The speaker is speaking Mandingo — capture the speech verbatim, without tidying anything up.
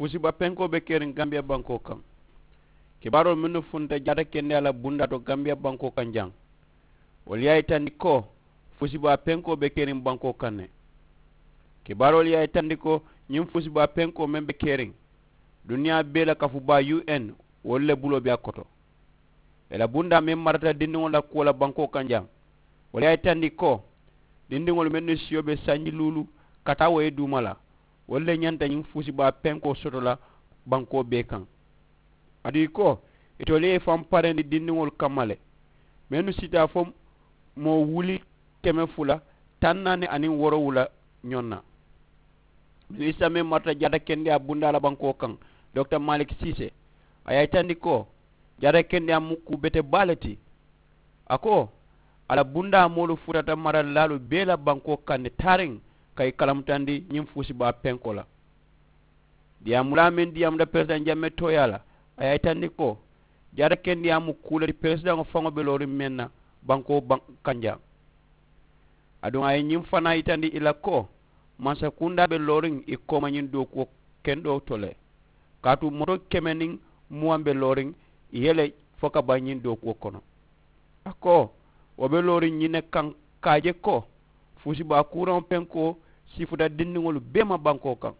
Fuusibaa penkoo be keriŋ gambiya bankoo kaŋ. Kibaaroolu mennu funta jaata kendeyaa la bundaa to gambiya bankoo kaŋ jaŋ, wolu ye a yitandi ko fuusibaa penkoo be keriŋ bankoo kaŋ ne. Kibaaroolu ye a yitandi ko ñiŋ fuusibaa penkoo meŋ be keriŋ duniyaa bee la kafu baa un wolu le buloo be a koto. Ì la bundaa meŋ marata dindiŋolu la kuwo la bankoo kaŋ jaŋ, wolu ye a yitandi ko dindiŋolu mennu siyo be sanji luulu ka taa wo ye duuma la, wolu le ñanta ñiŋ fuusibaa penkoo soto la bankoo bee kaŋ. Aduŋ ì ko itolu ye i faŋ parendi dindiŋolu kamma le mennu sita fo moo wuli keme fula taŋ naani aniŋ woorowula ñoŋ na. Minisita meŋ marata jaata kendeyaa bundaa la bankoo kaŋ, dokita malik siise, a ye a yitandi ko jaata kendeyaa mu kuu bete baa le ti. A ko a la bundaa moolu futata maralilaalu bee la bankoo kaŋ ne taariŋ ka i kalamutandi ñiŋ fuusibaa penkoo la. Diyaamulaa meŋ diyaamuta peresidaŋ jammee tooyaa la, a ye a yitandi ko jaata kendeyaa mu kuu le ti peresidaŋo faŋo be looriŋ meŋ na bankoo kaŋ jaŋ. Aduŋ a ye ñiŋ fanaa yitandi ì la ko mansakundaa be looriŋ ì kooma ñiŋ dookuwo kendoo to le. Kaatu moto keme niŋ muwaŋ be looriŋ ì ye le fo ka baŋ ñiŋ dookuwo kono. A ko wo be looriŋ ñiŋ ne kaŋ ka a je ko fuusibaa kuuraŋo penkoo sifuta dindiŋolu bee ma bankoo kaŋ.